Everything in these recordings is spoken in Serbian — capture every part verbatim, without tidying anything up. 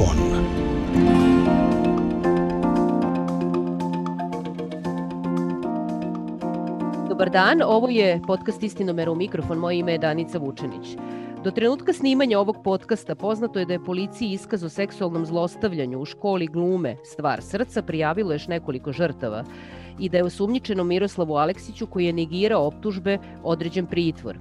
mikrofon. Dobar dan, ovo je podcast Istinomer u mikrofon, moje ime je Danica Vučenić. Do trenutka snimanja ovog podcasta poznato je da je policiji iskaz o seksualnom zlostavljanju u školi glume Stvar srca prijavilo još nekoliko žrtava i da je osumnjičenom Miroslavu Aleksiću, koji je negirao optužbe, određen pritvor.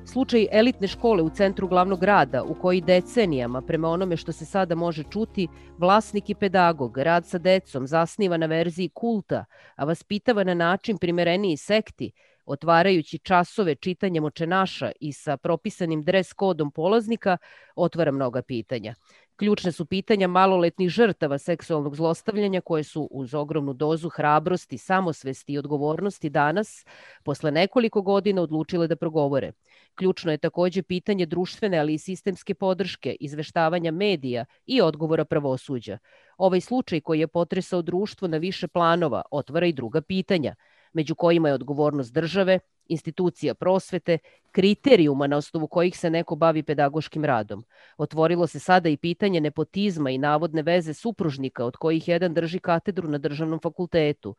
Slučaj elitne škole u centru glavnog grada, u koji decenijama, prema onome što se sada može čuti, vlasnik i pedagog, rad sa decom zasniva na verziji kulta, a vaspitava na način primereniji sekti, otvarajući časove čitanjem očenaša i sa propisanim dres kodom polaznika, otvara mnoga pitanja. Ključne su pitanja maloletnih žrtava seksualnog zlostavljanja koje su uz ogromnu dozu hrabrosti, samosvesti i odgovornosti danas, posle nekoliko godina, odlučile da progovore. Ključno je takođe pitanje društvene, ali i sistemske podrške, izveštavanja medija i odgovora pravosuđa. Ovaj slučaj koji je potresao društvo na više planova otvara i druga pitanja, među kojima je odgovornost države, institucija prosvete, kriterijuma na osnovu kojih se neko bavi pedagoškim radom. Otvorilo se sada i pitanje nepotizma i navodne veze supružnika, od kojih jedan drži katedru na državnom fakultetu.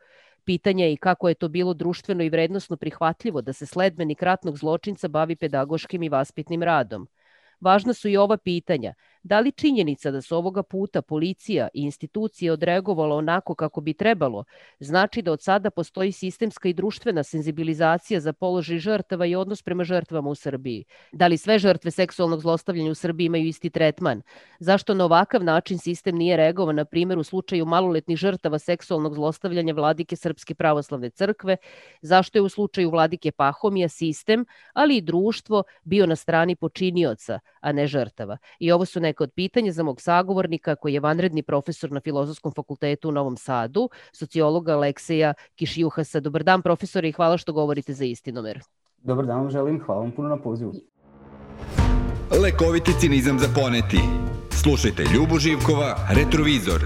Pitanje je i kako je to bilo društveno i vrednosno prihvatljivo da se sledbenik ratnog zločinca bavi pedagoškim i vaspitnim radom. Važna su i ova pitanja. Da li činjenica da su ovoga puta policija i institucije odreagovala onako kako bi trebalo, znači da od sada postoji sistemska i društvena senzibilizacija za položaj žrtava i odnos prema žrtvama u Srbiji? Da li sve žrtve seksualnog zlostavljanja u Srbiji imaju isti tretman? Zašto na ovakav način sistem nije reagovao, na primjer, u slučaju maloletnih žrtava seksualnog zlostavljanja vladike Srpske pravoslavne crkve? Zašto je u slučaju vladike Pahomija sistem, ali i društvo, bio na strani počinioca, a ne žrtava? I ovo su neka od pitanja za mog sagovornika, koji je vanredni profesor na Filozofskom fakultetu u Novom Sadu, sociologa Alekseja Kišjuhasa. Dobar dan, profesore, i hvala što govorite za Istinomer. Dobar dan vam želim, hvala vam puno na pozivu. Lekoviti cinizam za poneti. Slušajte Ljubu Živkova, Retrovizor.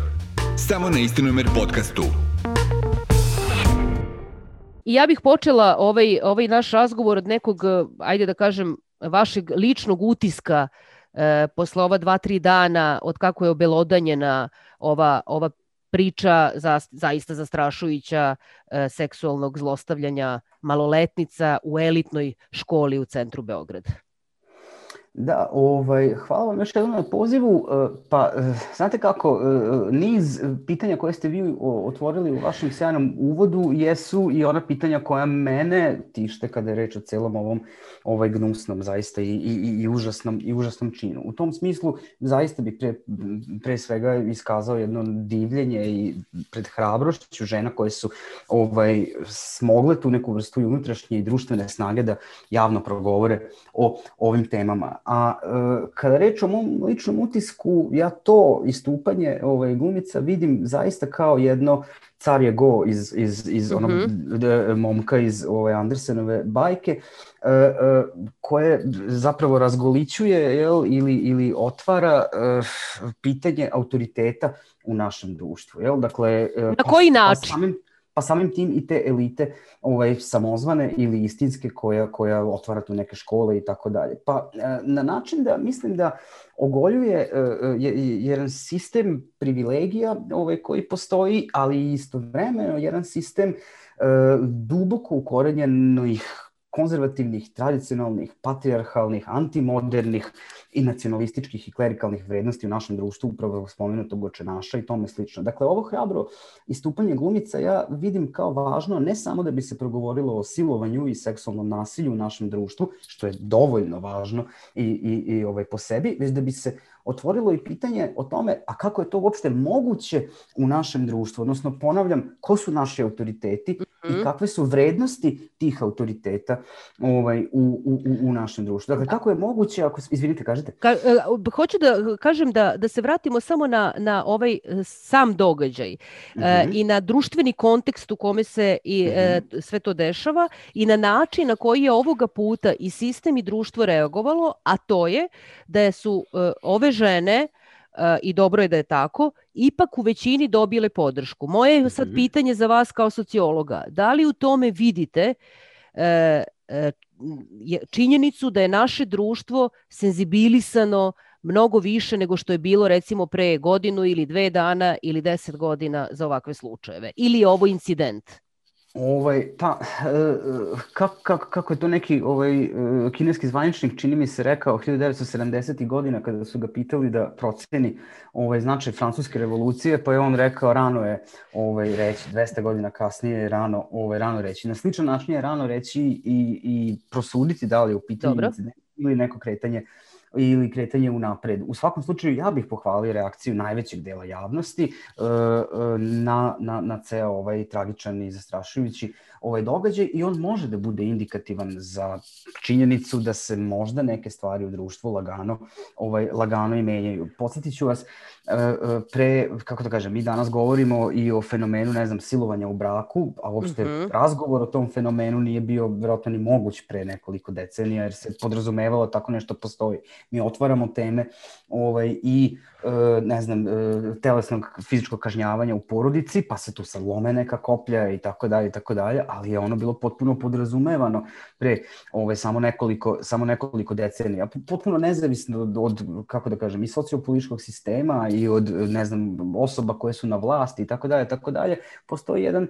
Samo na Istinomer podcastu. I ja bih počela ovaj, ovaj naš razgovor od nekog, ajde da kažem, vašeg ličnog utiska e, posle ova dva, tri dana od kako je obelodanjena ova, ova priča za, zaista zastrašujuća e, seksualnog zlostavljanja maloletnica u elitnoj školi u centru Beograda. Da, ovaj, hvala vam još jednom na pozivu. Pa, znate kako, niz pitanja koje ste vi otvorili u vašem sjajnom uvodu jesu i ona pitanja koja mene tište kada je reč o celom ovom ovaj gnusnom zaista i, i, i, užasnom, i užasnom činu. U tom smislu zaista bih pre, pre svega iskazao jedno divljenje i pred hrabrošću žena koje su ovaj, smogle tu neku vrstu i unutrašnje i društvene snage da javno progovore o ovim temama. A e, kada reč o mom ličnom utisku, ja to istupanje ovaj, glumica vidim zaista kao jedno car je go iz, iz, iz onog mm-hmm. momka iz ovaj, Andersenove bajke, e, e, koje zapravo razgolićuje jel, ili, ili otvara e, pitanje autoriteta u našem društvu. Jel? Dakle, e, na koji pa, način? Pa samim, pa samim tim i te elite ovaj, samozvane ili istinske koja, koja otvara tu neke škole i tako dalje. Pa na način da mislim da ogoljuje uh, jedan sistem privilegija ovaj, koji postoji, ali istovremeno jedan sistem uh, duboko ukorenjenih konzervativnih, tradicionalnih, patrijarhalnih, antimodernih i nacionalističkih i klerikalnih vrednosti u našem društvu, upravo spomenutog očenaša i tome slično. Dakle, ovo hrabro istupanje glumica ja vidim kao važno ne samo da bi se progovorilo o silovanju i seksualnom nasilju u našem društvu, što je dovoljno važno i, i, i ovaj, po sebi, već da bi se otvorilo i pitanje o tome, a kako je to uopšte moguće u našem društvu, odnosno ponavljam, ko su naši autoriteti mm-hmm. i kakve su vrednosti tih autoriteta ovaj, u, u, u našem društvu. Dakle, kako je moguće, ako, izvinite, kažete? Ka, hoću da kažem da, da se vratimo samo na, na ovaj sam događaj mm-hmm. e, i na društveni kontekst u kome se i, mm-hmm. e, sve to dešava i na način na koji je ovoga puta i sistem i društvo reagovalo, a to je da su e, ove žene, i dobro je da je tako, ipak u većini dobile podršku. Moje je sad pitanje za vas kao sociologa. Da li u tome vidite činjenicu da je naše društvo senzibilisano mnogo više nego što je bilo recimo pre godinu ili dve dana ili deset godina za ovakve slučajeve? Ili je ovo incident? Ovaj, pa, kako, kako, kako je to neki ovaj, kineski zvaničnik, čini mi se, rekao hiljadu devetsto sedamdesetih godina kada su ga pitali da proceni ovaj, značaj francuske revolucije, pa je on rekao rano je ovaj, reći, dvesta godina kasnije je rano, ovaj, rano reći. Na sličan način je rano reći i, i prosuditi da li je u pitanju incident ili neko kretanje ili kretanje unapred. U svakom slučaju ja bih pohvalio reakciju najvećeg dela javnosti na, na, na ceo ovaj tragičan i zastrašujući ovaj događaj i on može da bude indikativan za činjenicu da se možda neke stvari u društvu lagano, ovaj, lagano i menjaju. Podsjetit ću vas, pre, kako da kažem, mi danas govorimo i o fenomenu, ne znam, silovanja u braku, a uopšte mm-hmm. razgovor o tom fenomenu nije bio vjerojatno ni moguć pre nekoliko decenija, jer se podrazumevalo tako nešto postoji. Mi otvaramo teme ovaj, i ne znam, telesnog fizičkog kažnjavanja u porodici, pa se tu sad lome neka koplja i tako dalje i tako dalje, ali je ono bilo potpuno podrazumevano pre ovaj, samo, nekoliko, samo nekoliko decenija. Potpuno nezavisno od, od, kako da kažem, i sociopolitičkog sistema i od, ne znam, osoba koje su na vlasti i tako dalje, tako dalje. Postoji jedan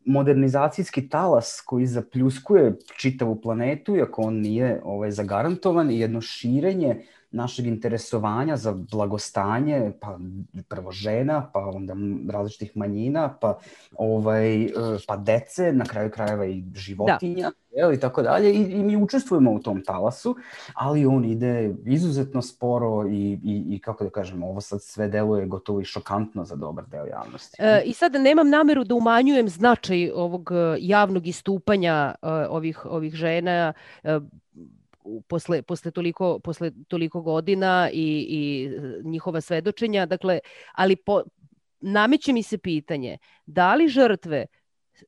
modernizacijski talas koji zapljuskuje čitavu planetu, iako on nije ovaj, zagarantovan, i jedno širenje našeg interesovanja za blagostanje, pa prvo žena, pa onda različitih manjina, pa, ovaj, pa dece, na kraju krajeva i životinja, da. I tako dalje. I, I mi učestvujemo u tom talasu, ali on ide izuzetno sporo i, i, i kako da kažem, ovo sad sve deluje gotovo i šokantno za dobar deo javnosti. E, I sad nemam nameru da umanjujem značaj ovog javnog istupanja uh, ovih, ovih žena, uh, Posle, posle, toliko, posle toliko godina i, i njihova svedočenja, dakle, ali po, nameće mi se pitanje, da li žrtve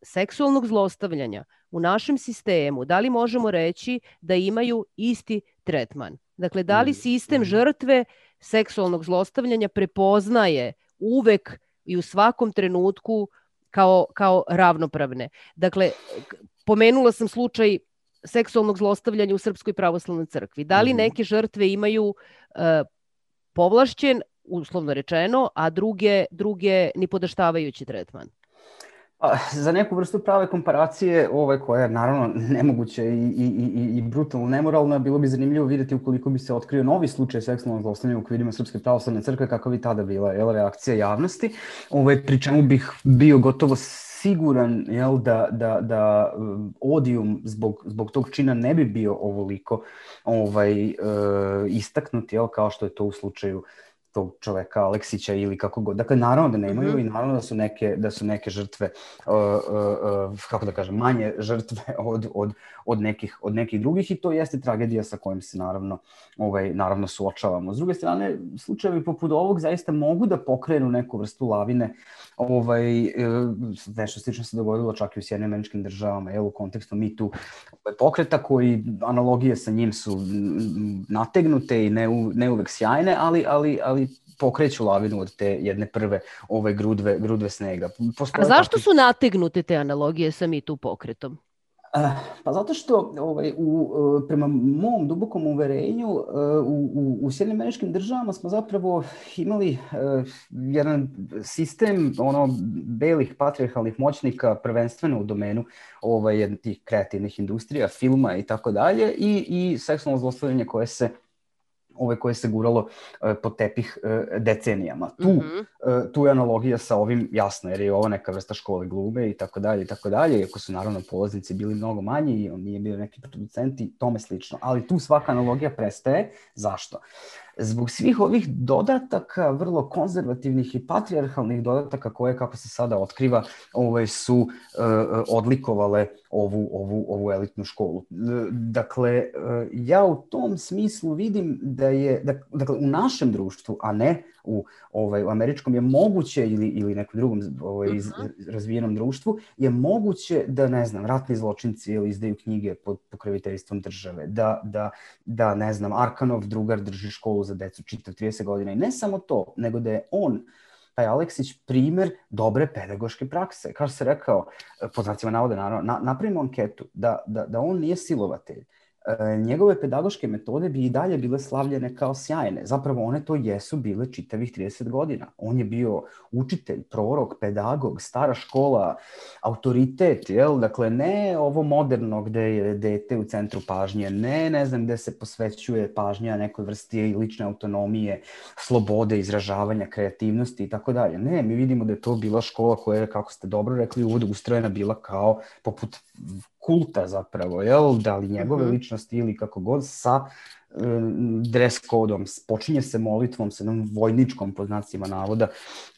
seksualnog zlostavljanja u našem sistemu, da li možemo reći da imaju isti tretman? Dakle, da li sistem žrtve seksualnog zlostavljanja prepoznaje uvek i u svakom trenutku kao, kao ravnopravne? Dakle, pomenula sam slučaj seksualnog zlostavljanja u Srpskoj pravoslavnoj crkvi. Da li neke žrtve imaju uh, povlašćen, uslovno rečeno, a druge, druge nipodaštavajući tretman? A, za neku vrstu prave komparacije, ovaj, koja je naravno nemoguća i, i, i, i brutalno nemoralna, bilo bi zanimljivo vidjeti ukoliko bi se otkrio novi slučaj seksualnog zlostavljanja u okvirima Srpske pravoslavne crkve, kako bi tada bila jel, reakcija javnosti, ovaj, pri čemu bih bio gotovo siguran jel, da, da, da odijum zbog, zbog tog čina ne bi bio ovoliko ovaj, e, istaknut, jel, kao što je to u slučaju tog čoveka Aleksića ili kako god. Dakle, naravno da nemaju mm-hmm. i naravno da su neke, da su neke žrtve, uh, uh, uh, kako da kažem, manje žrtve od, od, od, nekih, od nekih drugih i to jeste tragedija sa kojom se naravno, ovaj, naravno suočavamo. S druge strane, slučajevi poput ovog zaista mogu da pokrenu neku vrstu lavine. Ovaj, uh, nešto slično se dogodilo čak i u Sjedinjenim Američkim Državama, jel, u kontekstu Me Too pokreta koji analogije sa njim su nategnute i ne, u, ne uvek sjajne, ali, ali, ali pokreću lavinu od te jedne prve ove grudve, grudve snega. Postoje A zašto takvi... su nategnute te analogije sa Me Too pokretom? Uh, pa zato što ovaj, u, prema mom dubokom uverenju uh, u, u Sjedinjenim Američkim Državama smo zapravo imali uh, jedan sistem ono, belih patrijarhalnih moćnika, prvenstveno u domenu ovaj, tih kreativnih industrija, filma i tako dalje i, i seksualno zlostavljanje koje se ove koje se guralo uh, pod tepih uh, decenijama. Tu, mm-hmm. uh, tu je analogija sa ovim jasno, jer je ovo neka vrsta škole glume i tako dalje i tako dalje, iako su naravno polaznici bili mnogo manji i on nije bio neki producenti, tome slično. Ali tu svaka analogija prestaje. Zašto? Zbog svih ovih dodataka, vrlo konzervativnih i patrijarhalnih dodataka koje, kako se sada otkriva, ove, su uh, odlikovale ovu, ovu, ovu elitnu školu. Dakle, uh, ja u tom smislu vidim da je, da, dakle, u našem društvu, a ne u, ovaj, u američkom, je moguće, ili, ili nekom drugom ovaj, iz, razvijenom društvu, je moguće da, ne znam, ratni zločinci ili izdaju knjige pod pokroviteljstvom države, da, da, da, ne znam, Arkanov drugar drži školu za decu čitav trideset godina. I ne samo to, nego da je on, taj Aleksić, primer dobre pedagoške prakse. Kao što se rekao, pod znacima navoda, naravno, na, napravimo anketu da, da, da on nije silovatelj, njegove pedagoške metode bi i dalje bile slavljene kao sjajne. Zapravo one to jesu bile čitavih trideset godina. On je bio učitelj, prorok, pedagog, stara škola, autoritet, jel? Dakle, ne ovo moderno gde je dete u centru pažnje, ne, ne znam, gde se posvećuje pažnja nekoj vrsti lične autonomije, slobode, izražavanja, kreativnosti i tako dalje. Ne, mi vidimo da je to bila škola koja je, kako ste dobro rekli, uvod ustrojena bila kao poput kulta zapravo, jel? Da li njegove mm-hmm. ličnosti ili kako god, sa um, dress kodom, počinje se molitvom, sa jednom vojničkom, pod znacima navoda,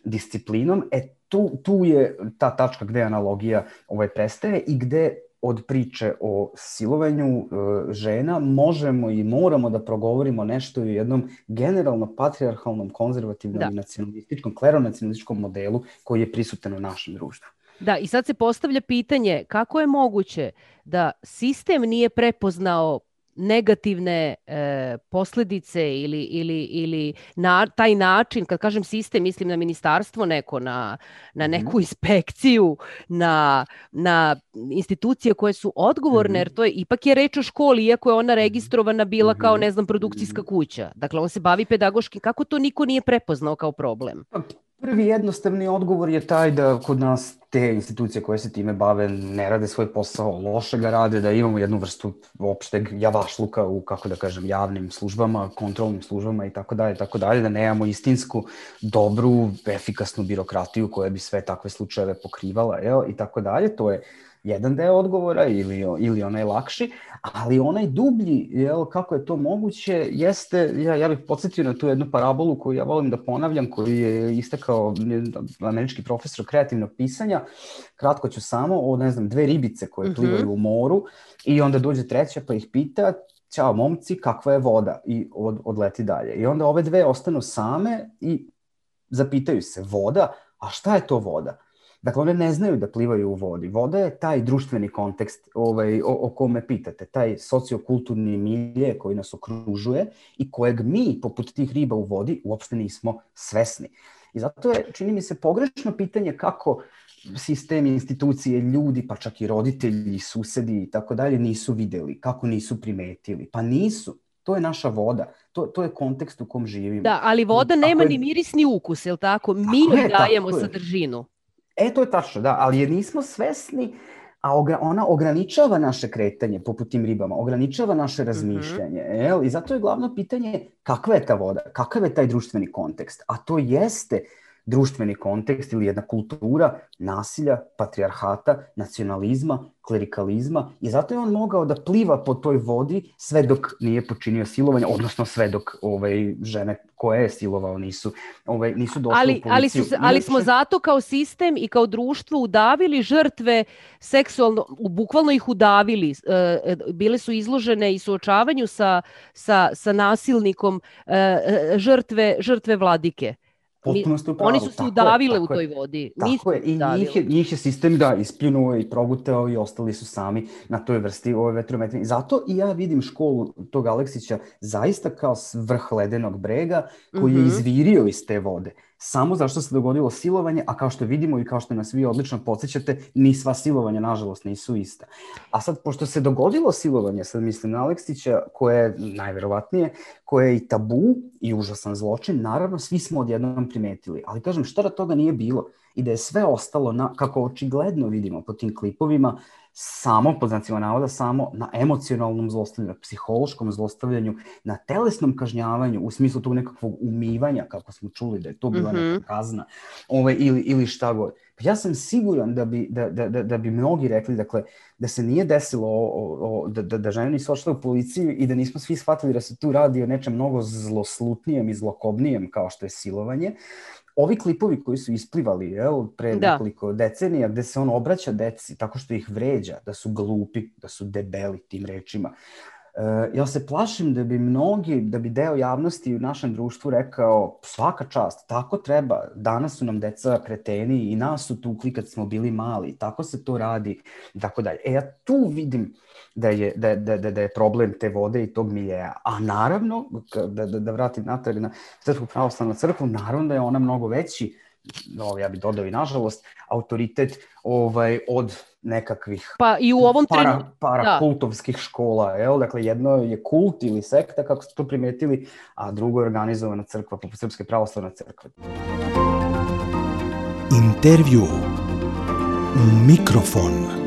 disciplinom. E, tu, tu je ta tačka gde analogija ovaj prestaje i gde od priče o silovanju uh, žena možemo i moramo da progovorimo nešto o jednom generalno patrijarhalnom, konzervativnom da. i nacionalističkom, kleronacionalističkom modelu koji je prisutan u našem društvu. Da, i sad se postavlja pitanje kako je moguće da sistem nije prepoznao negativne e, posljedice ili, ili, ili na, taj način, kad kažem sistem, mislim na ministarstvo neko, na, na neku inspekciju, na, na institucije koje su odgovorne, jer to je, ipak je reč o školi, iako je ona registrovana bila kao, ne znam, produkcijska kuća. Dakle, on se bavi pedagoškim. Kako to niko nije prepoznao kao problem? Prvi jednostavni odgovor je taj da kod nas te institucije koje se time bave ne rade svoj posao, loše ga rade, da imamo jednu vrstu opšteg javašluka u, kako da kažem, javnim službama, kontrolnim službama i tako dalje, tako dalje, da nemamo istinsku, dobru, efikasnu birokratiju koja bi sve takve slučajeve pokrivala, jel, i tako dalje. To je jedan deo odgovora ili, ili onaj lakši, ali onaj dublji, jel, kako je to moguće, jeste, ja, ja bih podsjetio na tu jednu parabolu koju ja volim da ponavljam, koju je istakao američki profesor kreativnog pisanja, kratko ću samo, o, ne znam, dve ribice koje plivaju u moru i onda dođe treća pa ih pita, ćao momci, kakva je voda? I od, odleti dalje. I onda ove dve ostanu same i zapitaju se, voda? A šta je to voda? Dakle, one ne znaju da plivaju u vodi. Voda je taj društveni kontekst ovaj, o, o kome pitate, taj sociokulturni milje koji nas okružuje i kojeg mi, poput tih riba u vodi, uopšte nismo svesni. I zato je, čini mi se, pogrešno pitanje kako sistemi, institucije, ljudi, pa čak i roditelji, susedi i tako dalje nisu videli, kako nisu primetili. Pa nisu. To je naša voda. To, to je kontekst u kom živimo. Da, ali voda nema je... ni miris ni ukus, je li tako? Mi joj dajemo sadržinu. E, to je tačno, da, ali je nismo svesni, a ogra, ona ograničava naše kretanje, poput tim ribama, ograničava naše razmišljanje. Mm-hmm. Jel? I zato je glavno pitanje kakva je ta voda, kakav je taj društveni kontekst. A to jeste društveni kontekst ili jedna kultura nasilja, patrijarhata, nacionalizma, klerikalizma i zato je on mogao da pliva po toj vodi sve dok nije počinio silovanje, odnosno sve dok ovaj, žene koje je silovao nisu, ovaj, nisu došle ali, u policiju. Ali, su, ali smo zato kao sistem i kao društvo udavili žrtve seksualno, bukvalno ih udavili. E, bile su izložene i suočavanju sa, sa, sa nasilnikom e, žrtve, žrtve vladike. Potpuno ste u pravu. Oni su se udavile u toj vodi. Tako je, i njih je, njih je sistem da ispljunuo i progutao i ostali su sami na toj vrsti ove vetrometine. Zato i ja vidim školu tog Aleksića zaista kao vrh ledenog brega koji mm-hmm. je izvirio iz te vode. Samo zašto se dogodilo silovanje, a kao što vidimo i kao što nas vi odlično podsjećate, ni sva silovanja, nažalost, nisu ista. A sad, pošto se dogodilo silovanje, sad mislim na Aleksića, koje je najverovatnije, koje je i tabu i užasan zločin, naravno, svi smo odjednom primetili. Ali kažem, šta da toga nije bilo? I da je sve ostalo, na, kako očigledno vidimo po tim klipovima, samo, pod znacima navoda, samo na emocionalnom zlostavljanju, na psihološkom zlostavljanju, na telesnom kažnjavanju, u smislu tog nekakvog umivanja, kako smo čuli da je to bila mm-hmm. neka kazna, ove, ili, ili šta god. Ja sam siguran da bi, da, da, da, da bi mnogi rekli, dakle, da se nije desilo, o, o, da, da, da žene nisu ošle u policiju i da nismo svi shvatili da se tu radi o nečem mnogo zloslutnijem i zlokobnijem kao što je silovanje. Ovi klipovi koji su isplivali, jel, pre da. nekoliko decenija, gde se on obraća deci tako što ih vređa, da su glupi, da su debeli tim rečima. Uh, ja se plašim da bi mnogi, da bi deo javnosti u našem društvu rekao svaka čast, tako treba, danas su nam deca kreteni i nas su tukli kad smo bili mali, tako se to radi i tako dalje. E ja tu vidim da je, da, da, da, da je problem te vode i tog miljeja. A naravno, da, da, da vratim natrag na Srpsku pravoslavnu crkvu, naravno da je ona mnogo veći ovaj, ja bih dodao i nažalost, autoritet ovaj, od nekakvih pa i u ovom para, trenu... parakultovskih škola. Jel? Dakle, jedno je kult ili sekta, kako ste to primetili, a drugo je organizovana crkva, poput Srpske pravoslavne crkve. Intervju. Mikrofon.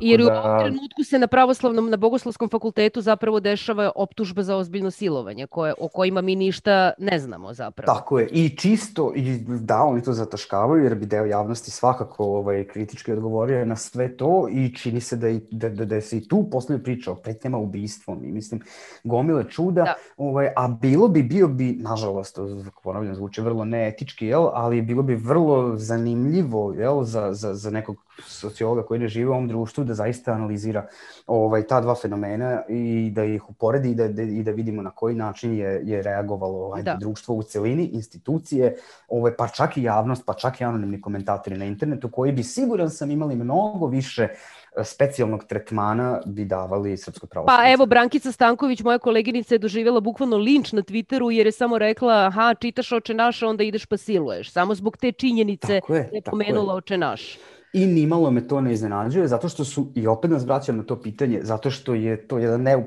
Jer u ovom trenutku se na pravoslavnom, na Bogoslovskom fakultetu zapravo dešava optužba za ozbiljno silovanje, koje, o kojima mi ništa ne znamo zapravo. Tako je. I čisto, i da, oni to zataškavaju, jer bi deo javnosti svakako ovaj, kritički odgovorio na sve to i čini se da, i, da, da, da se i tu poslije priča o pretnjama ubistvom i mislim, gomile čuda, da. Ovaj, a bilo bi, bio bi, nažalost, ponavljam, zvuči vrlo neetički, jel, ali bilo bi vrlo zanimljivo, jel, za, za, za nekog sociologa koji ne žive u ovom društvu, da zaista analizira ovaj, ta dva fenomena i da ih uporedi i da, da, i da vidimo na koji način je, je reagovalo ovaj, društvo u celini, institucije, ovaj, pa čak i javnost, pa čak i anonimni komentatori na internetu, koji bi, siguran sam, imali mnogo više specijalnog tretmana bi davali Srpskoj pravoslavnoj. Pa evo, Brankica Stanković, moja koleginica, je doživjela bukvalno linč na Twitteru jer je samo rekla, aha, čitaš Oče naš, onda ideš pa siluješ. Samo zbog te činjenice je, je pomenula Oče naš. I nimalo me to ne iznenađuje, zato što su, i opet nas vraćam na to pitanje, zato što je to jedan neup,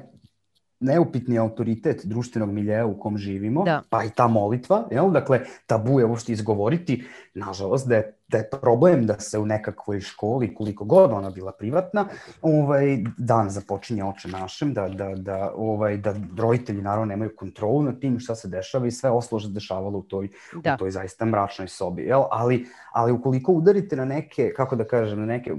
neupitni autoritet društvenog miljeja u kom živimo, da. Pa i ta molitva, jel? Dakle, tabu je uopšte izgovoriti, nažalost, da je, da je problem da se u nekakvoj školi, koliko god ona bila privatna, ovaj, dan započinje Oče našem, da, da, da, ovaj, da roditelji naravno nemaju kontrolu nad tim šta se dešava i sve ostalo što se dešavalo u toj, u toj zaista mračnoj sobi. Jel? Ali, ali ukoliko udarite na neke, kako da kažem, na neke,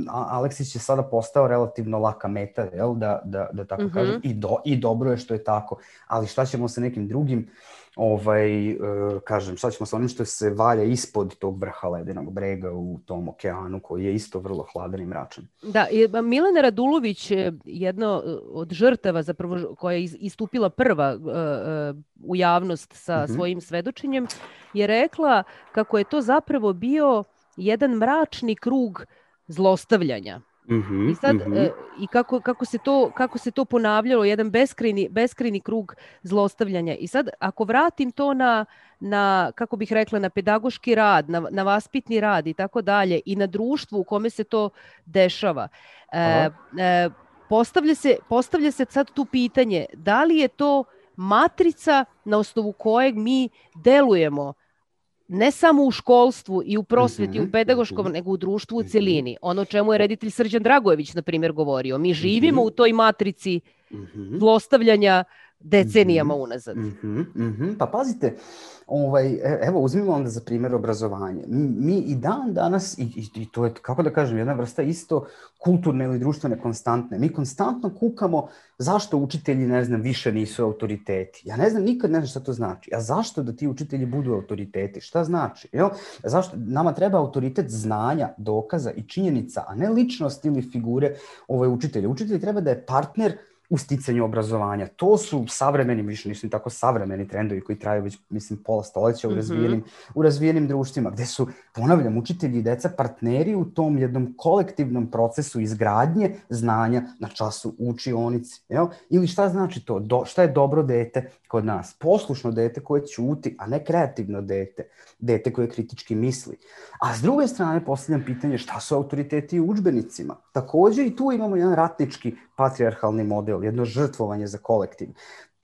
Aleksić je sada postao relativno laka meta, jel? Da, da, da tako mm-hmm. kažem, i, do, i dobro je što je tako, ali šta ćemo sa nekim drugim, ovaj, uh, kažem, šta ćemo sa onim što se valja ispod tog vrha ledenog brega u tom okeanu koji je isto vrlo hladan i mračan. Da, Milena Radulović, jedna od žrtava zapravo koja je istupila prva uh, uh, u javnost sa uh-huh. svojim svedočenjem, je rekla kako je to zapravo bio jedan mračni krug zlostavljanja. Mm-hmm, I sad mm-hmm. e, i kako kako se to kako se to ponavljalo, jedan beskrajni beskrajni krug zlostavljanja. I sad ako vratim to na na kako bih rekla na pedagoški rad, na na vaspitni rad i tako dalje i na društvu u kome se to dešava. E, e, postavlja se postavlja se sad tu pitanje, da li je to matrica na osnovu kojeg mi delujemo ne samo u školstvu i u prosveti, mm-hmm. u pedagoškom, mm-hmm. nego u društvu u celini. Ono čemu je reditelj Srđan Dragojević, na primjer, govorio. Mi živimo mm-hmm. u toj matrici mm-hmm. zlostavljanja decenijama mm-hmm. unazad. Mm-hmm. Mm-hmm. Pa pazite, ovaj, evo uzmimo onda za primjer obrazovanje. Mi, mi i dan danas, i, i, i to je, kako da kažem, jedna vrsta isto kulturne ili društvene konstantne. Mi konstantno kukamo zašto učitelji, ne znam, više nisu autoriteti. Ja ne znam, nikad ne znam šta to znači. A zašto da ti učitelji budu autoriteti? Šta znači? Jel? Zašto? Nama treba autoritet znanja, dokaza i činjenica, a ne ličnost ili figure ovaj, učitelja. Učitelj treba da je partner u sticanju obrazovanja. To su savremeni, više nisu tako savremeni trendovi koji traju već, mislim, pola stoljeća u razvijenim, mm-hmm. u razvijenim društvima, gde su, ponavljam, učitelji i deca partneri u tom jednom kolektivnom procesu izgradnje znanja na času u učionici. Jel? Ili šta znači to? Do, šta je dobro dete kod nas? Poslušno dete koje ćuti, a ne kreativno dete. Dete koje kritički misli. A s druge strane postavljam pitanje šta su autoriteti u udžbenicima. Također i tu imamo jedan ratnički patrijarhalni model, jedno žrtvovanje za kolektiv,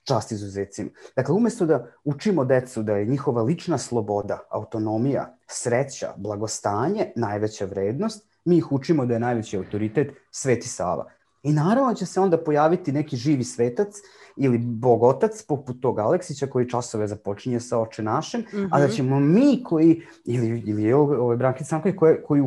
čast izuzecima. Dakle, umjesto da učimo decu da je njihova lična sloboda, autonomija, sreća, blagostanje najveća vrednost, mi ih učimo da je najveći autoritet Sveti Sava. I naravno će se onda pojaviti neki živi svetac ili bogotac poput tog Aleksića koji časove započinje sa Oče našem, mm-hmm. a da ćemo mi koji, ili, ili ovaj Brankica Stanković, koji, koji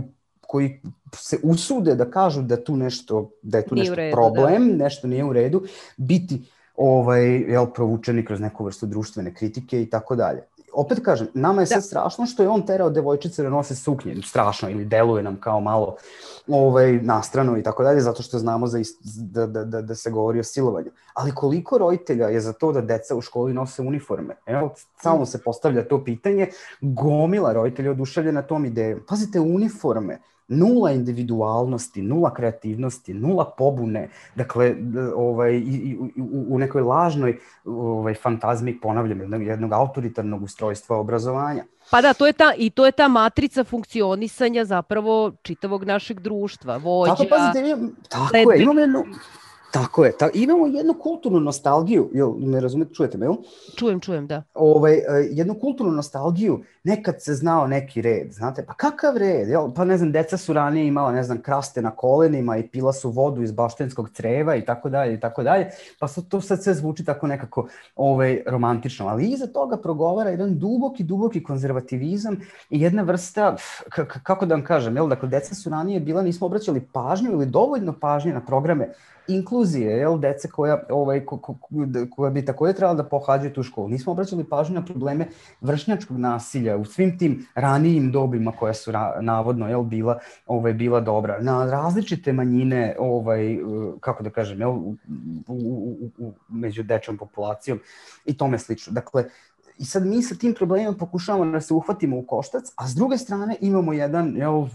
koji se usude da kažu da tu nešto, da je tu nešto redu, problem, da. Nešto nije u redu, biti ovaj, jel, provučeni kroz neku vrstu društvene kritike i tako dalje. Opet kažem, nama je sad strašno što je on terao devojčice da nose suknje, strašno, ili deluje nam kao malo ovaj, nastrano i tako dalje, zato što znamo za ist, da, da, da, da se govori o silovanju. Ali koliko roditelja je za to da deca u školi nose uniforme? Evo, samo se postavlja to pitanje, gomila roditelja oduševljena tom idejom. Pazite, uniforme. nula individualnosti, nula kreativnosti, nula pobune, dakle, ovaj, i, i, u, u nekoj lažnoj ovaj, fantazmi, ponavljam, jednog, jednog autoritarnog ustrojstva obrazovanja. Pa da, to je ta, i to je ta matrica funkcionisanja zapravo čitavog našeg društva, vođa... Tako, pazite, imam, tako je, imamo jednu... Tako je, ta, imamo jednu kulturnu nostalgiju, jel, me razumete, čujete me, jel? Čujem, čujem, da. Ovaj, jednu kulturnu nostalgiju, nekad se znao neki red, znate, pa kakav red, jel? Pa ne znam, deca su ranije imala, ne znam, kraste na kolenima i pila su vodu iz baštenskog creva i tako dalje, i tako dalje, pa to sad sve zvuči tako nekako ovaj, romantično, ali iza toga progovara jedan duboki, duboki konzervativizam i jedna vrsta, k- kako da vam kažem, jel, dakle, deca su ranije bila, nismo obraćali pažnju ili dovoljno pažnje na programe inkluzije, jel, dece koja, ovaj, ko, ko, koja bi takođe trebala da pohađaju tu školu. Nismo obraćali pažnju na probleme vršnjačkog nasilja u svim tim ranijim dobima koja su ra, navodno, jel, bila, ovaj, bila dobra. Na različite manjine, ovaj, kako da kažem, jel, u, u, u, u, među dečom populacijom i tome slično. Dakle, i sad mi sa tim problemima pokušavamo da se uhvatimo u koštac, a s druge strane imamo jedan, jel,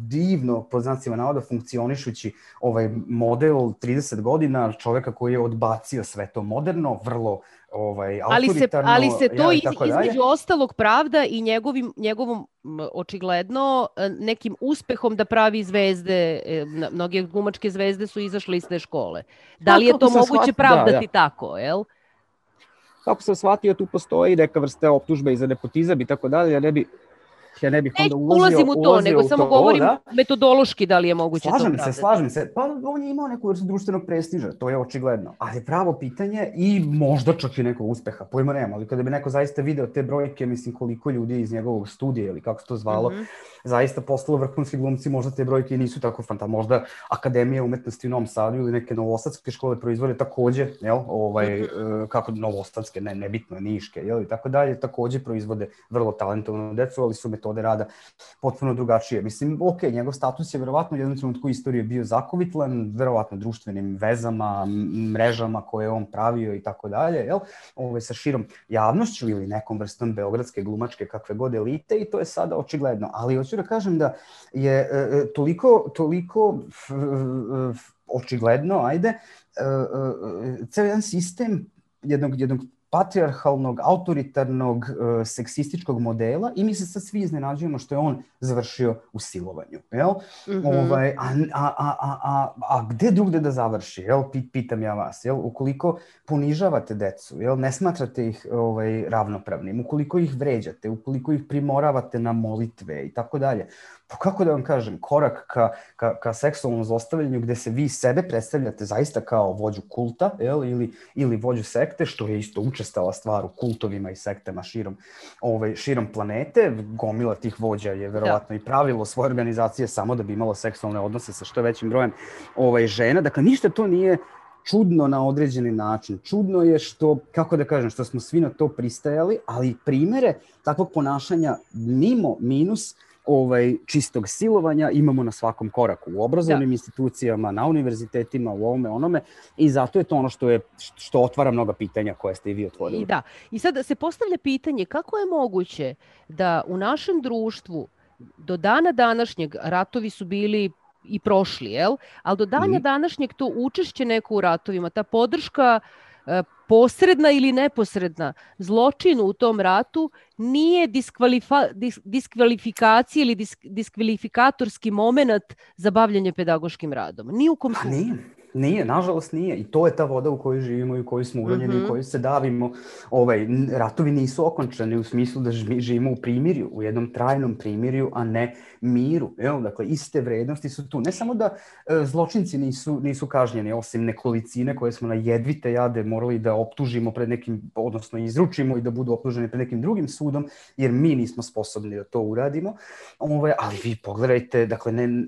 divno, pod znacima navoda, funkcionišući ovaj model trideset godina čoveka koji je odbacio sve to moderno, vrlo ovaj, autoritarno. Ali se, ali se to ja, iz, između ostalog pravda i njegovim, njegovom očigledno nekim uspehom da pravi zvezde, mnoge glumačke zvezde su izašle iz te škole. Da li je to moguće shvatio, pravdati da, ja. tako, jel? Kako sam shvatio, tu postoji neka vrsta optužbe i za nepotizam i tako dalje, ja ne bi ja ne bih onda ulazio, ulazim u to, ulazio nego u samo to, govorim da? metodološki da li je moguće slažem to pravdati. se, slažem se. Pa on je imao neku vrstu društvenog prestiža, to je očigledno. Ali pravo pitanje i možda čak i nekog uspeha, pojma nema, ali kada bi neko zaista video te brojke, mislim koliko ljudi iz njegovog studija ili kako se to zvalo, mm-hmm. zaista postalo vrhunski glumci, možda te brojke i nisu tako fantastične. Možda Akademija umetnosti u Novom Sadu ili neke novosadske škole proizvode takođe, jel, ovaj, mm-hmm. kako novosadske, ne, nebitno, niške, jel, i tako dalje, takođe proizvode vrlo talentovanu decu, ali su metode rada potpuno drugačije. Mislim, ok, njegov status je verovatno u jednom trenutku istorije bio zakovitlan, verovatno društvenim vezama, mrežama koje je on pravio i tako dalje, jel, ovaj, sa širom javnošću ili nekom vrstom beogradske glumačke kakve god elite i to je sada očigledno. Ali hoću da kažem da je e, toliko, toliko f, f, očigledno, ajde, e, e, ceo jedan sistem jednog, jednog patrijarhalnog, autoritarnog, e, seksističkog modela i mi se sad svi iznenađujemo što je on završio u silovanju, jel? Mm-hmm. Ovaj, a, a, a, a, a gde drugde da završi, jel? Pitam ja vas, jel? Ukoliko ponižavate decu, jel? Ne smatrate ih ovaj, ravnopravnim, ukoliko ih vređate, ukoliko ih primoravate na molitve i tako dalje, pa kako da vam kažem, korak ka, ka, ka seksualnom zlostavljanju gde se vi sebe predstavljate zaista kao vođu kulta, jel? Ili, ili vođu sekte, što je isto učestala stvar u kultovima i sektama širom, ovaj, širom planete. Gomila tih vođa je verovatno da. i pravilo svoje organizacije samo da bi imalo seksualne odnose sa što većim brojem ovaj, žena. Dakle, ništa to nije čudno na određeni način. Čudno je što, kako da kažem, što smo svi na to pristajali, ali primere takvog ponašanja mimo minus ovaj, čistog silovanja imamo na svakom koraku, u obrazovnim da. institucijama, na univerzitetima, u ovome, onome, i zato je to ono što, je, što otvara mnoga pitanja koje ste i vi otvorili. I da, i sad se postavlja pitanje kako je moguće da u našem društvu do dana današnjeg ratovi su bili i prošli, jel? Ali do dana mm. današnjeg to učešće neko u ratovima, ta podrška posredna ili neposredna zločinu u tom ratu nije diskvalifa, dis, diskvalifikacija ili disk, diskvalifikatorski moment za bavljanje pedagoškim radom. Ni u kom slučaju. Nije, nije, nažalost nije. I to je ta voda u kojoj živimo i u kojoj smo uronjeni, mm-hmm. u kojoj se davimo. Ovaj, ratovi nisu okončani u smislu da živimo u primirju, u jednom trajnom primirju, a ne miru. Jel? Dakle, iste vrednosti su tu. Ne samo da e, zločinci nisu, nisu kažnjeni, osim nekolicine koje smo na jedvite jade morali da optužimo pred nekim, odnosno izručimo i da budu optuženi pred nekim drugim sudom, jer mi nismo sposobni da to uradimo. Ovaj, ali vi pogledajte, dakle, ne,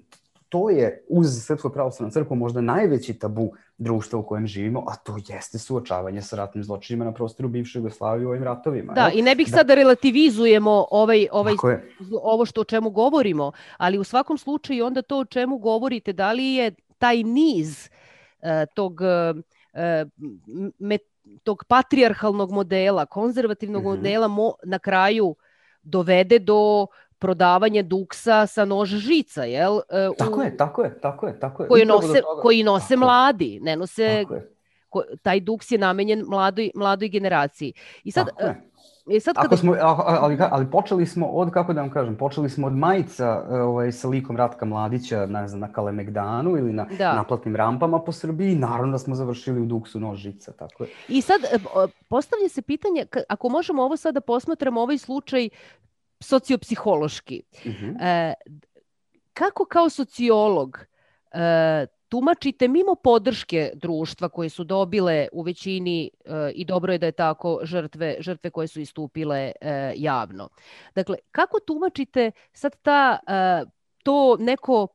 to je uz Srpsku pravoslavnu crkvu možda najveći tabu društva u kojem živimo, a to jeste suočavanje sa ratnim zločinima na prostoru bivše Jugoslavije u ovim ratovima. Da, i ne bih da. sada relativizujemo ovaj, ovaj, ovo što o čemu govorimo, ali u svakom slučaju onda to o čemu govorite, da li je taj niz uh, tog, uh, met, tog patrijarhalnog modela, konzervativnog mm-hmm. modela mo, na kraju dovede do prodavanje duksa sa nož žica, jel? Uh, tako u... je, tako je, tako je, tako je. Koji nose, koji nose mladi, ne nose... Ko, taj duks je namenjen mladoj, mladoj generaciji. I sad... Tako je. I sad kada... Ako smo, ali, ali počeli smo od, kako da vam kažem, počeli smo od majica ovaj, sa likom Ratka Mladića, ne znam, na Kalemegdanu ili na da. naplatnim rampama po Srbiji, naravno da smo završili u duksu nož žica, tako je. I sad postavlja se pitanje, ako možemo ovo sada posmatramo ovaj slučaj sociopsihološki, uh-huh. e, kako kao sociolog e, tumačite mimo podrške društva koje su dobile u većini e, i dobro je da je tako žrtve, žrtve koje su istupile e, javno. Dakle, kako tumačite sad ta, e, to neko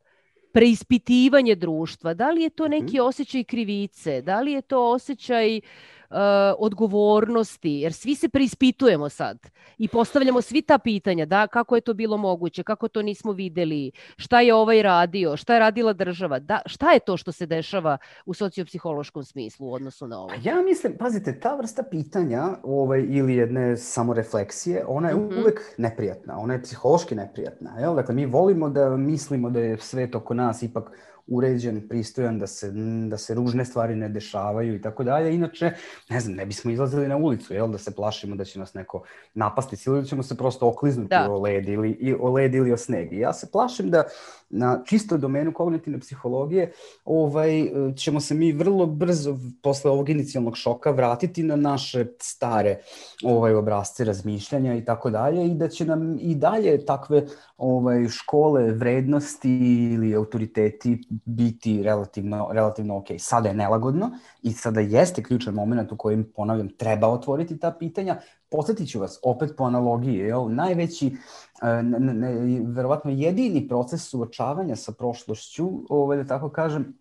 preispitivanje društva? Da li je to neki osjećaj krivice? Da li je to osjećaj uh, odgovornosti? Jer svi se preispitujemo sad i postavljamo svi ta pitanja. Da, kako je to bilo moguće? Kako to nismo videli? Šta je ovaj radio? Šta je radila država? Da, šta je to što se dešava u sociopsihološkom smislu u odnosu na ovo? Ja mislim, pazite, ta vrsta pitanja ovaj, ili jedne samorefleksije, ona je mm-hmm. uvek neprijatna. Ona je psihološki neprijatna. Jel? Dakle, mi volimo da mislimo da je svet oko nas ipak uređen, pristojan, da se, da se ružne stvari ne dešavaju i tako dalje. Inače, ne znam, ne bismo izlazili na ulicu, jel, da se plašimo da će nas neko napasti ili da ćemo se prosto okliznuti da. o led ili, i, o led ili o sneg. I ja se plašim da na čisto domenu kognitivne psihologije ovaj, ćemo se mi vrlo brzo posle ovog inicijalnog šoka vratiti na naše stare ovaj, obrazce razmišljanja i tako dalje i da će nam i dalje takve ovaj, škole vrednosti ili autoriteti biti relativno, relativno ok. Sada je nelagodno i sada jeste ključan moment u kojem, ponavljam, treba otvoriti ta pitanja. Podsjetit ću vas, opet po analogiji, jel, najveći, ne, ne, verovatno jedini proces suočavanja sa prošlošću, ovaj, da tako kažem,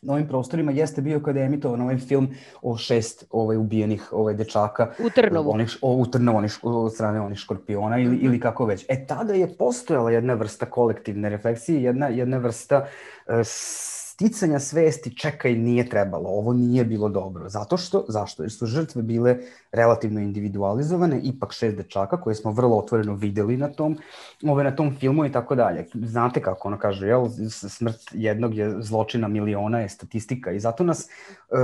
na ovim prostorima jeste bio kada je emitovan ovaj film o šest ovaj, ubijenih ovaj, dečaka. U Trnovu. Onih, o, u Trnovu onih, od strane onih škorpiona ili, mm-hmm. ili kako već. E tada je postojala jedna vrsta kolektivne refleksije, jedna, jedna vrsta uh, sticanja svesti, čekaj, nije trebalo, ovo nije bilo dobro. Zato što, zašto? Jer su žrtve bile relativno individualizovane, ipak šest dečaka koje smo vrlo otvoreno videli na tom, ove, na tom filmu i tako dalje. Znate kako ono kaže, jel, smrt jednog je zločina miliona je statistika i zato nas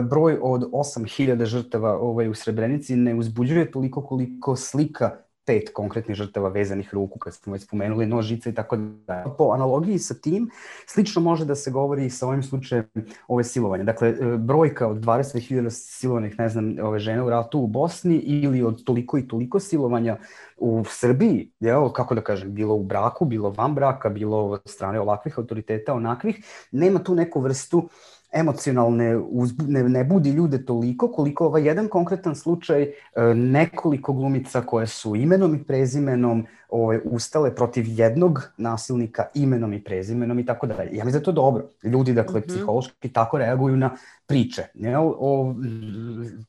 broj od osam hiljada žrtava ovaj, u Srebrenici ne uzbuđuje toliko koliko slika pet konkretnih žrtava vezanih ruku, kad smo već spomenuli nožice i tako da. Po analogiji sa tim, slično može da se govori i sa ovim slučajem ove silovanja. Dakle, brojka od dvadeset hiljada silovanih, ne znam, ove žene u ratu u Bosni ili od toliko i toliko silovanja u Srbiji, jel, kako da kažem, bilo u braku, bilo van braka, bilo od strane ovakvih autoriteta, onakvih, nema tu neku vrstu emocionalne, uzbu, ne, ne budi ljude toliko koliko ovaj jedan konkretan slučaj e, nekoliko glumica koje su imenom i prezimenom ovaj, ustale protiv jednog nasilnika imenom i prezimenom i tako dalje. Ja mislim da je to dobro. Ljudi, dakle, mm-hmm. psihološki tako reaguju na priče. Jel? O,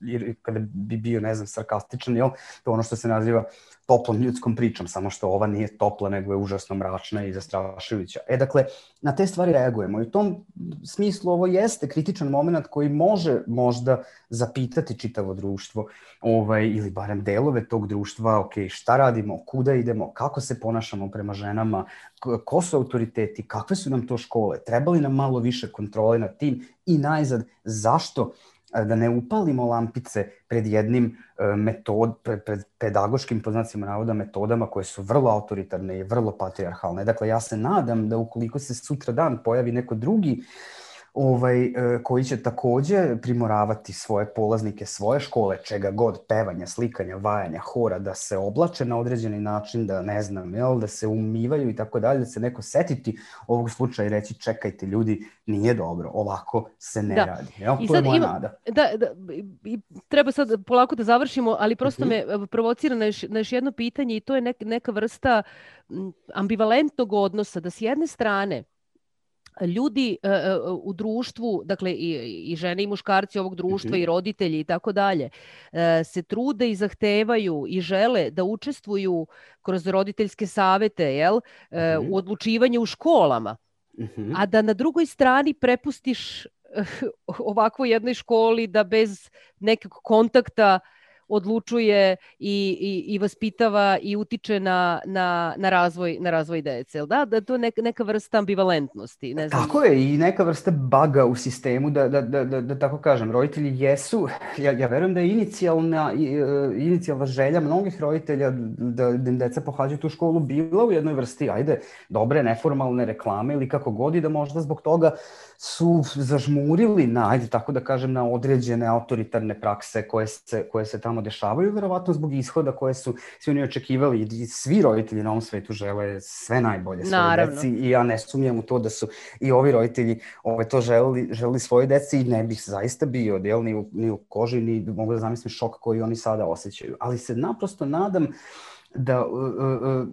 jer kada bi bio, ne znam, sarkastičan, jel? To ono što se naziva toplom ljudskom pričom, samo što ova nije topla, nego je užasno mračna i zastrašujuća. E, dakle, na te stvari reagujemo. I u tom smislu ovo jeste kritičan moment koji može možda zapitati čitavo društvo, ovaj, ili barem delove tog društva, ok, šta radimo, kuda idemo, kako se ponašamo prema ženama, ko su autoriteti, kakve su nam to škole, treba li nam malo više kontrole nad tim i najzad, zašto da ne upalimo lampice pred jednim metod, pred, pred pedagoškim, po znacima navoda, metodama koje su vrlo autoritarne i vrlo patrijarhalne. Dakle, ja se nadam da ukoliko se sutra dan pojavi neko drugi ovaj, koji će takođe primoravati svoje polaznike, svoje škole, čega god, pevanja, slikanja, vajanja, hora, da se oblače na određeni način, da ne znam, jel, da se umivaju i tako dalje, da se neko setiti ovog slučaja i reći čekajte ljudi, nije dobro, ovako se ne da. radi. Jel? To je moja ima, nada. Da, da, i treba sad polako da završimo, ali prosto uh-huh. me provocira na još, na još jedno pitanje i to je neka, neka vrsta ambivalentnog odnosa, da s jedne strane ljudi uh, u društvu, dakle i, i žene i muškarci ovog društva mm-hmm. i roditelji i tako dalje, uh, se trude i zahtevaju i žele da učestvuju kroz roditeljske savete, jel, uh, mm-hmm. u odlučivanju u školama, mm-hmm. a da na drugoj strani prepustiš uh, ovakvoj jednoj školi da bez nekog kontakta odlučuje i, i, i vaspitava i utiče na, na, na, razvoj, na razvoj dece. Da, da to je neka, neka vrsta ambivalentnosti. Ne znam. Tako je, i neka vrsta baga u sistemu, da, da, da, da, da tako kažem. Roditelji jesu, ja, ja verujem da je inicijalna, inicijalna želja mnogih roditelja da, da im deca pohađaju tu školu bila u jednoj vrsti, ajde, dobre, neformalne reklame ili kako god, i da možda zbog toga su zažmurili na, ajde tako da kažem, na određene autoritarne prakse koje se, koje se tamo dešavaju, verovatno zbog ishoda koje su svi oni očekivali, i svi roditelji na ovom svetu žele sve najbolje svoje deci, i ja ne sumnjam u to da su i ovi roditelji ove, to želeli, želeli svoje deci, i ne bih zaista bio del, ni, u, ni u koži, ni mogu da zamislim šok koji oni sada osjećaju. Ali se naprosto nadam da uh, uh,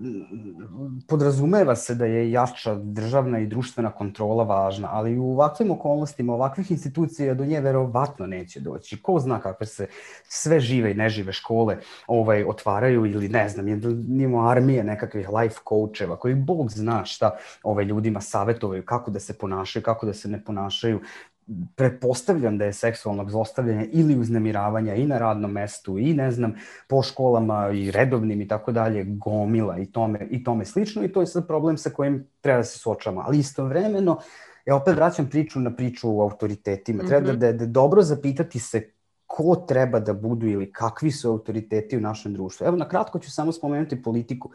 podrazumeva se da je jača državna i društvena kontrola važna, ali u ovakvim okolnostima, ovakvih institucija do nje verovatno neće doći. Ko zna kakve se sve žive i nežive škole ovaj, otvaraju, ili ne znam, imamo armije nekakvih life coacheva koji Bog zna šta ovaj, ljudima savjetuju, kako da se ponašaju, kako da se ne ponašaju. Pretpostavljam da je seksualnog zlostavljanja ili uznemiravanja i na radnom mestu, i ne znam, po školama i redovnim i tako dalje, gomila i tome, i tome slično, i to je sad problem sa kojim treba da se suočavamo. Ali istovremeno, ja opet vraćam priču na priču o autoritetima. Mm-hmm. Treba da, da, da dobro zapitati se ko treba da budu ili kakvi su autoriteti u našem društvu. Evo, na kratko ću samo spomenuti politiku.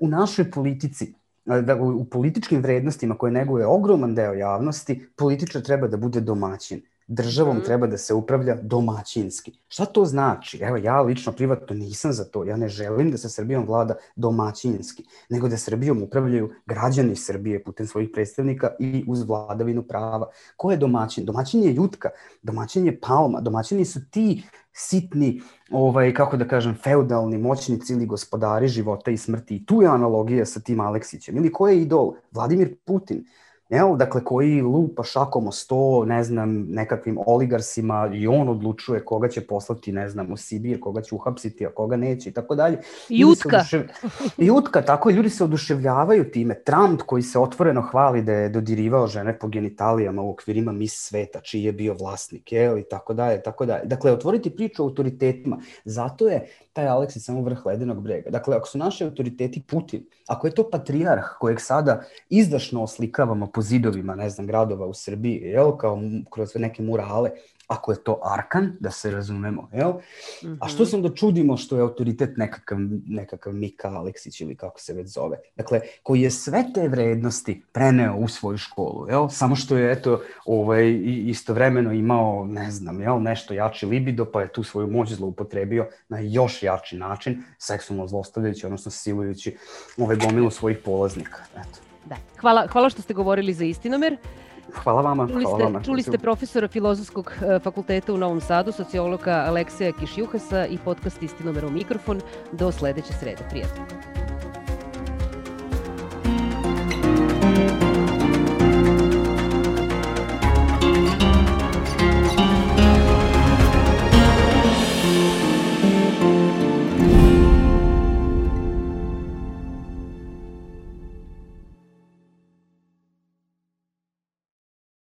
U našoj politici, da u političkim vrednostima koje neguje ogroman deo javnosti, političar treba da bude domaćin. Državom mm. treba da se upravlja domaćinski. Šta to znači? Evo, ja lično privatno nisam za to. Ja ne želim da se Srbijom vlada domaćinski, nego da Srbijom upravljaju građani Srbije putem svojih predstavnika i uz vladavinu prava. Ko je domaćin? Domaćin je Jutka, domaćin je Palma, domaćini su ti sitni, ovaj, kako da kažem, feudalni moćnici ili gospodari života i smrti. I tu je analogija sa tim Aleksićem. Ili ko je idol? Vladimir Putin. Jel, dakle, koji lupa šakom o sto, ne znam, nekakvim oligarsima, i on odlučuje koga će poslati, ne znam, u Sibir, koga će uhapsiti, a koga neće i tako dalje. Jutka. Odušev... Jutka, tako je, ljudi se oduševljavaju time. Trump koji se otvoreno hvali da je dodirivao žene po genitalijama u okvirima Miss Sveta, čiji je bio vlasnik, jel, i tako dalje, tako dalje. Dakle, otvoriti priču o autoritetima. Zato je taj Aleksić samo vrh ledenog brega. Dakle, ako su naši autoriteti Putin, ako je to patrijarh kojeg sada izdašno oslikavamo po zidovima, ne znam, gradova u Srbiji, jel, kao kroz neke murale, ako je to Arkan, da se razumemo, jel? Mm-hmm. A što se onda čudimo što je autoritet nekakav, nekakav Mika Aleksić ili kako se već zove? Dakle, koji je sve te vrednosti preneo u svoju školu, jel? Samo što je, eto, ovaj, istovremeno imao, ne znam, jel, nešto jači libido, pa je tu svoju moć zloupotrebio na još jači način, seksualno zlostavljajući, odnosno silujući ove gomilu svojih polaznika, eto. Da. Hvala, hvala što ste govorili za Istinomer. Hvala vama. Čuli ste, hvala vama. čuli ste profesora Filozofskog fakulteta u Novom Sadu, sociologa Aleksija Kišjuhasa i podcast Istinomer u mikrofon. Do sledeće srede. Prijatno.